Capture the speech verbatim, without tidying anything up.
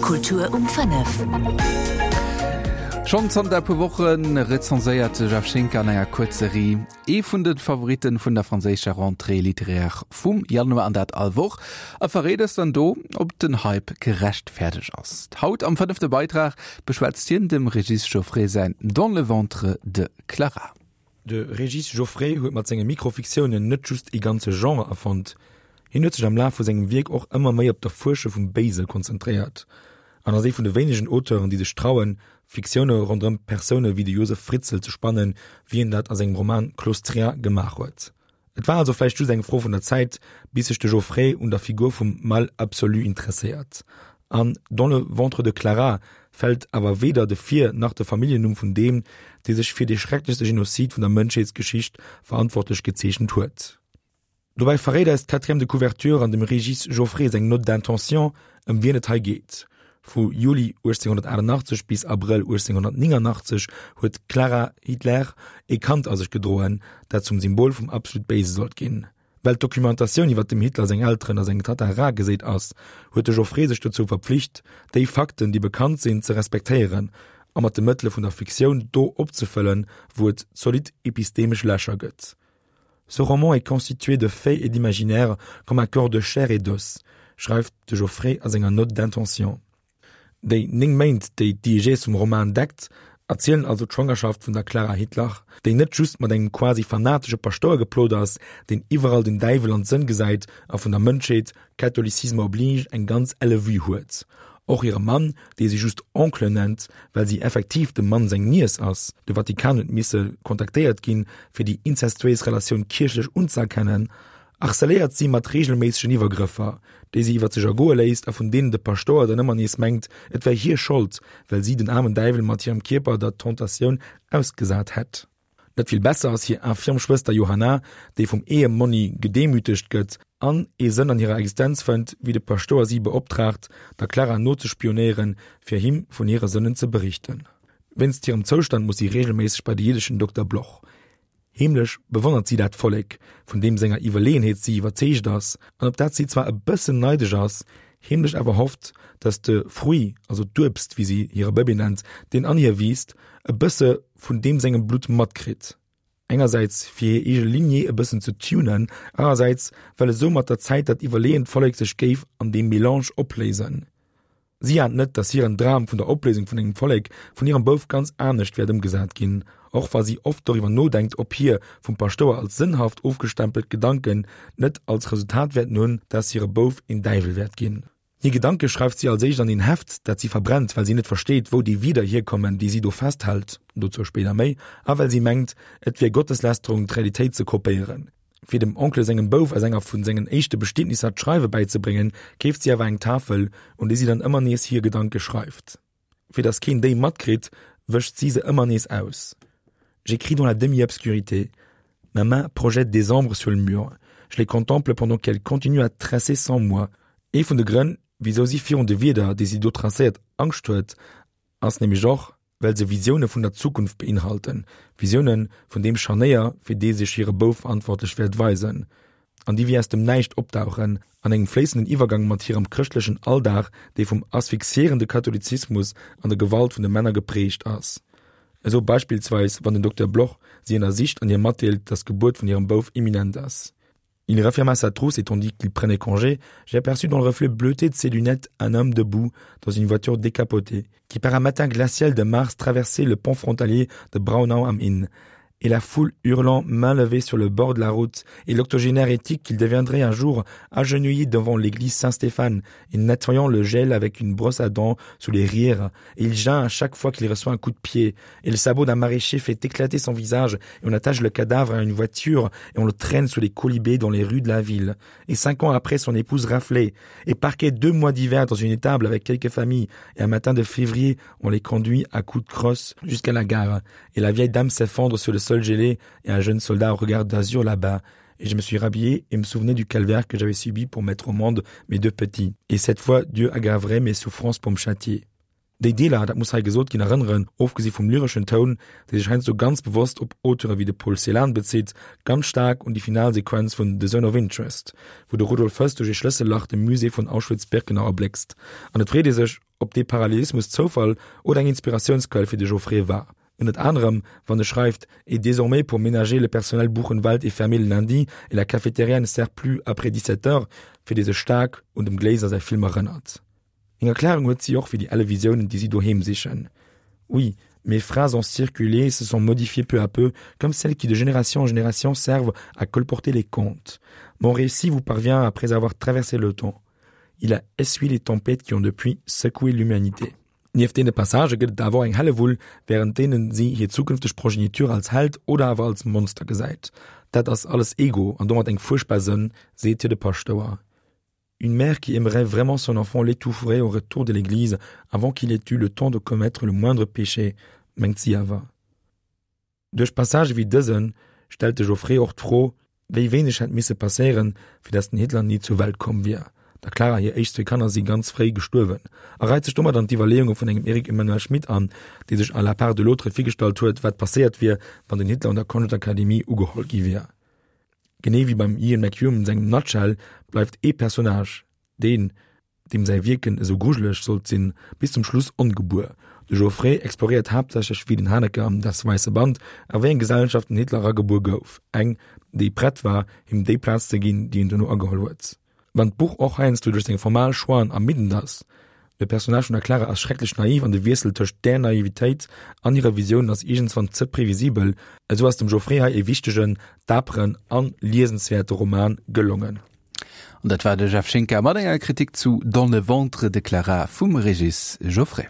Kultur um fënnef. Schonn zanter e puer Woche rezenséiert de Jeff Schinker an enger Kuerzserie ee vun de Favoritten vun der franséischer Rentrée littéraire vum Januar an dat all Woch a verréit eis dann do, ob den Hype gerechtfäerdegt ass. Haut am fënnefte Beitrag beschwätzt hien dem Régis Jauffret säin Dans le ventre de Clara. De Régis Jauffret huet mat senge Mikrofiktiounen net just ee ganze Genre erfonnt, hien huet sech am Laf vu sengem Wierk och ëmmer méi op d'Erfuersche vum Béise konzentréiert an ass ee vun de wéinegen Auteuren, déi sech trauen, Fiktioune ronderëm Persoune wéi de Josef Fritzl ze spannen, wéi en dat a sengem Roman Claustria gemaach huet. Et war also vläicht just eng Fro vun der Zäit, bis sech de Jauffret un der Figur vum Mal absolu interesséiert. An Dans le ventre de Clara fält awer weder de Vir nach de Familljennumm vun deem, dee sech fir dee schrecklechste Genozid vun der Mënschheetsgeschicht verantwortlech gezeechent huet. Dobäi verréit eis d'Quatrième de couverture an dem Régis Jauffret seng Note d'intention, ëm wien et hei geet. Vu Juli uechtzénghonnertachtennachtzeg bis Abrëll uechtzénghonnertnéngannachtzeg huet d'Clara Hitler ee Kand a sech gedroen, dat zum Symbol vum absolut Béise sollt ginn. Well d'Dokumentatioun iwwer dem Hitler seng Elteren a seng Tatta rar geséit ass, huet de Jauffret sech dozou verpflicht, déi Fakten, déi bekannt sinn, ze respektéieren a mat de Mëttele vun der Fiktioun do opzefëllen, wou et zolidd epistemesch Lächer gëtt. Ce roman est constitué de faits et d'imaginaire comme un corps de chair et d'os, schreift de Jauffret a senger Note d'intention. Déi néng Méint, déi d'Diégèse vum Roman deckt, erzielen also d'Schwangerschaft vun der Clara Hitler, déi net just mat engem quasi fanatesche Paschtouer geplot ass, deen iwwerall den Däiwel an d'Sënn gesäit a vun der Mënschheet, Catholicisme oblige, eng ganz elle Vue huet. Och hire Mann, dee si just Oncle nennt, well si effektiv dem Mann seng Niess ass, de Vatikan huet misse kontaktéiert ginn, fir déi inzestuéis Relatioun kierchlech unzëerkennen, harceléiert si mat reegelméissegen Iwwergrëffer, déi si iwwer sech ergoe léisst a vun deenen de Paschtouer dann ëmmer nees mengt, et wär hir Schold, well si den aarmen Däiwel mat hirem Kierper der Tentatioun ausgesat hätt. Net vill besser ass hir infirm Schwëster Johanna, déi vum Ehemonni gedemütegt gëtt an ee Sënn an hirer Existenz fënnt, wéi de Paschtouer si beoptraagt, der Clara nozespionéieren, fir him vun hire Sënnen ze berichten. Wéinst hirem Zoustand muss si reegelméisseg bei de jiddeschen Dokter Bloch. Heemlech bewonnert si dat Vollek, vun deem senger Iwwerleeënheet si iwwerzeegt ass an op dat si zwar e bëssen neidesch ass, heemlech awer hofft, datt de Fruit, also d'Uebst, wéi si hire Bëbee nennt, deen an hir wiisst, e bësse vun deem sengem Blutt matkritt. Engersäits fir hir eege Lignée e bëssen ze tunen, anerersäits well esou mat der Zäit dat iwwerleeënt Vollek sech géif an deem Melange opléisen. Si ahnt net, datt hiren Dram vun der Opléisung vun engem Vollek vun hirem Bouf ganz anescht wäert ëmgesat ginn, och wa si oft doriwwer nodenkt, ob hir vum Paschtouer als sënnhaft ofgestempelt Gedanken net als Resultat wäerten hunn, datt hire Bouf een Däiwel wäert ginn. Hir Gedanke schreift si als éischt an een Heft, dat si verbrennt, well si net versteet, wou déi Wierder hierkommen, déi si do festhält, dozou spéider méi, a well si mengt, et wier Gotteslästerung, d'Realitéit ze kopéieren. Fir dem Onkel sengem Bouf aus enger vun sengen éischte Bestietnisser d'Schreiwe bäizebréngen, keeft si awer eng Tafel, un déi si dann ëmmer nees hir Gedanke schreift. Fir datt keen déi matkritt, wëscht si se ëmmer nees aus. J'écris dans la demi-obscurité. Ma main projette des ombres sur le mur. Je les contemple pendant qu'elles continuent à tracer sans moi. Ee vun de Grënn, wisou si virun de Wierder, déi si do tracéiert, Angscht huet, ass nämlech och, well se Visioune vun der Zukunft beinhalten, Visioune vun deem Scharnéier, fir dee sech hire Bouf verantwortlech wäert weisen, an déi wéi aus dem Näischt opdauchen, an engem fléissenden Iwwergang mat hirem chrëschtlechen Alldag, dee vum asphyxiéierende Katholizismus an der Gewalt vun de Männer geprägt ass. Esou beispillsweis, wann den Dokter Bloch si ënnersicht an hir matdeelt, dass d'Gebuert vun hirem Bouf imminent ass. Il referma sa trousse et tandis qu'il prenait congé, j'ai aperçu dans le reflet bleuté de ses lunettes un homme debout dans une voiture décapotée, qui par un matin glacial de mars traversait le pont frontalier de Braunau am Inn et la foule hurlant main levée sur le bord de la route et l'octogénaire éthique qu'il deviendrait un jour agenouillé devant l'église Saint-Stéphane et nettoyant le gel avec une brosse à dents sous les rires et il geint à chaque fois qu'il reçoit un coup de pied et le sabot d'un maraîcher fait éclater son visage et on attache le cadavre à une voiture et on le traîne sous les quolibets dans les rues de la ville et cinq ans après son épouse raflée et parquait deux mois d'hiver dans une étable avec quelques familles et un matin de février on les conduit à coups de crosse jusqu'à la gare et la vieille dame s'effondre sur le sol gelé et un jeune soldat au regard d'azur là-bas et je me suis rhabillé et me souvenais du calvaire que j'avais subi pour mettre au monde mes deux petits et cette fois Dieu aggraverait mes souffrances pour me châtier Déi Deeler, dat muss hei gesot ginn, erënneren, ofgesi vum lyreschen Toun, dee sech heiansdo ganz bewosst op Auteure wéi de Paul Celan bezitt, ganz staark un déi final Sequenz vun The Zone of Interest, wou de Rudolf Höss duerch ee Schlëssellach de Musée vun Auschwitz-Birkenau erbléckst. An et freet ee sech, ob dee Parallelismus Zoufall oder eng Inspiratiounsquell fir de Jauffret war. Ënnert anerem, wann e schreift, Et désormais pour ménager le personnel Buchenwald est fermé le lundi et la cafétéria ne sert plus après dix-sept heures, fir dee sech staark un dem Glaser säi Film erënnert. Eng Erklärung huet si och fir déi elle Visiounen, déi si doheem sichen, Oui, mes phrases ont circulé et se sont modifiées peu à peu, comme celles qui de génération en génération servent à colporter les contes. Mon récit vous parvient après avoir traversé le temps. Il a essuyé les tempêtes qui ont depuis secoué l'humanité. Nieft deene Passagë gëtt et awer och eng Hellewull, wärend deenen si hir zukünfteg Progeniture als Held oder awer als Monster gesäit. Dat ass alles Ego an domat eng fuerchtbar Sënn, seet hir de Paschtouer. Une mère qui aimerait vraiment son enfant l'étoufferait au retour de l'église avant qu'il ait eu le temps de commettre le moindre péché, mengt si awer. Duerch Passagë wéi dëse stellt de Jauffret och d'Fro, wéi wéineg hätt misse passéieren, fir datt den Hitler ni zur Welt komm wier. Der Clara hir éischt zwee Kanner si ganz fréi gestuerwen a reit sech domat an d'Iwwerleeunge vun engem Eric Emmanuel Schmitt an, dee sech à la part de l'autre virgestallt huet, wat passéiert wier, wann den Hitler un der Konschtakademie ugeholl gi wier. Genee wéi beim Ian McEwan sengem Nutshell bleift ee Personnage, deen, deem säi Wierken esou grujeleg sollt sinn, bis zum Schluss ongebuer. De Jauffret exploréiert haaptsächlech wéi den Haneke am Das weiße Band a wéi eng Gesellschaft den Hitler eragebuer gouf, eng, déi prett war, him déi Plaz ze ginn, déi en duerno ageholl huet. Wann d'Buch och heiansdo duerch seng formal Choixen ermiddend ass, de Personnage vun der Clara ass schrecklech naiv an de Wiessel tëscht där Naivitéit an hirer Visioun ass iergendswann ze previsibel, esou ass dem Jauffret hei e wichtegen, daperen an liesenswäerte Roman gelongen. An dat war de Jeff Schinker mat enger Kritik zu Dans le ventre de Clara vum Régis Jauffret.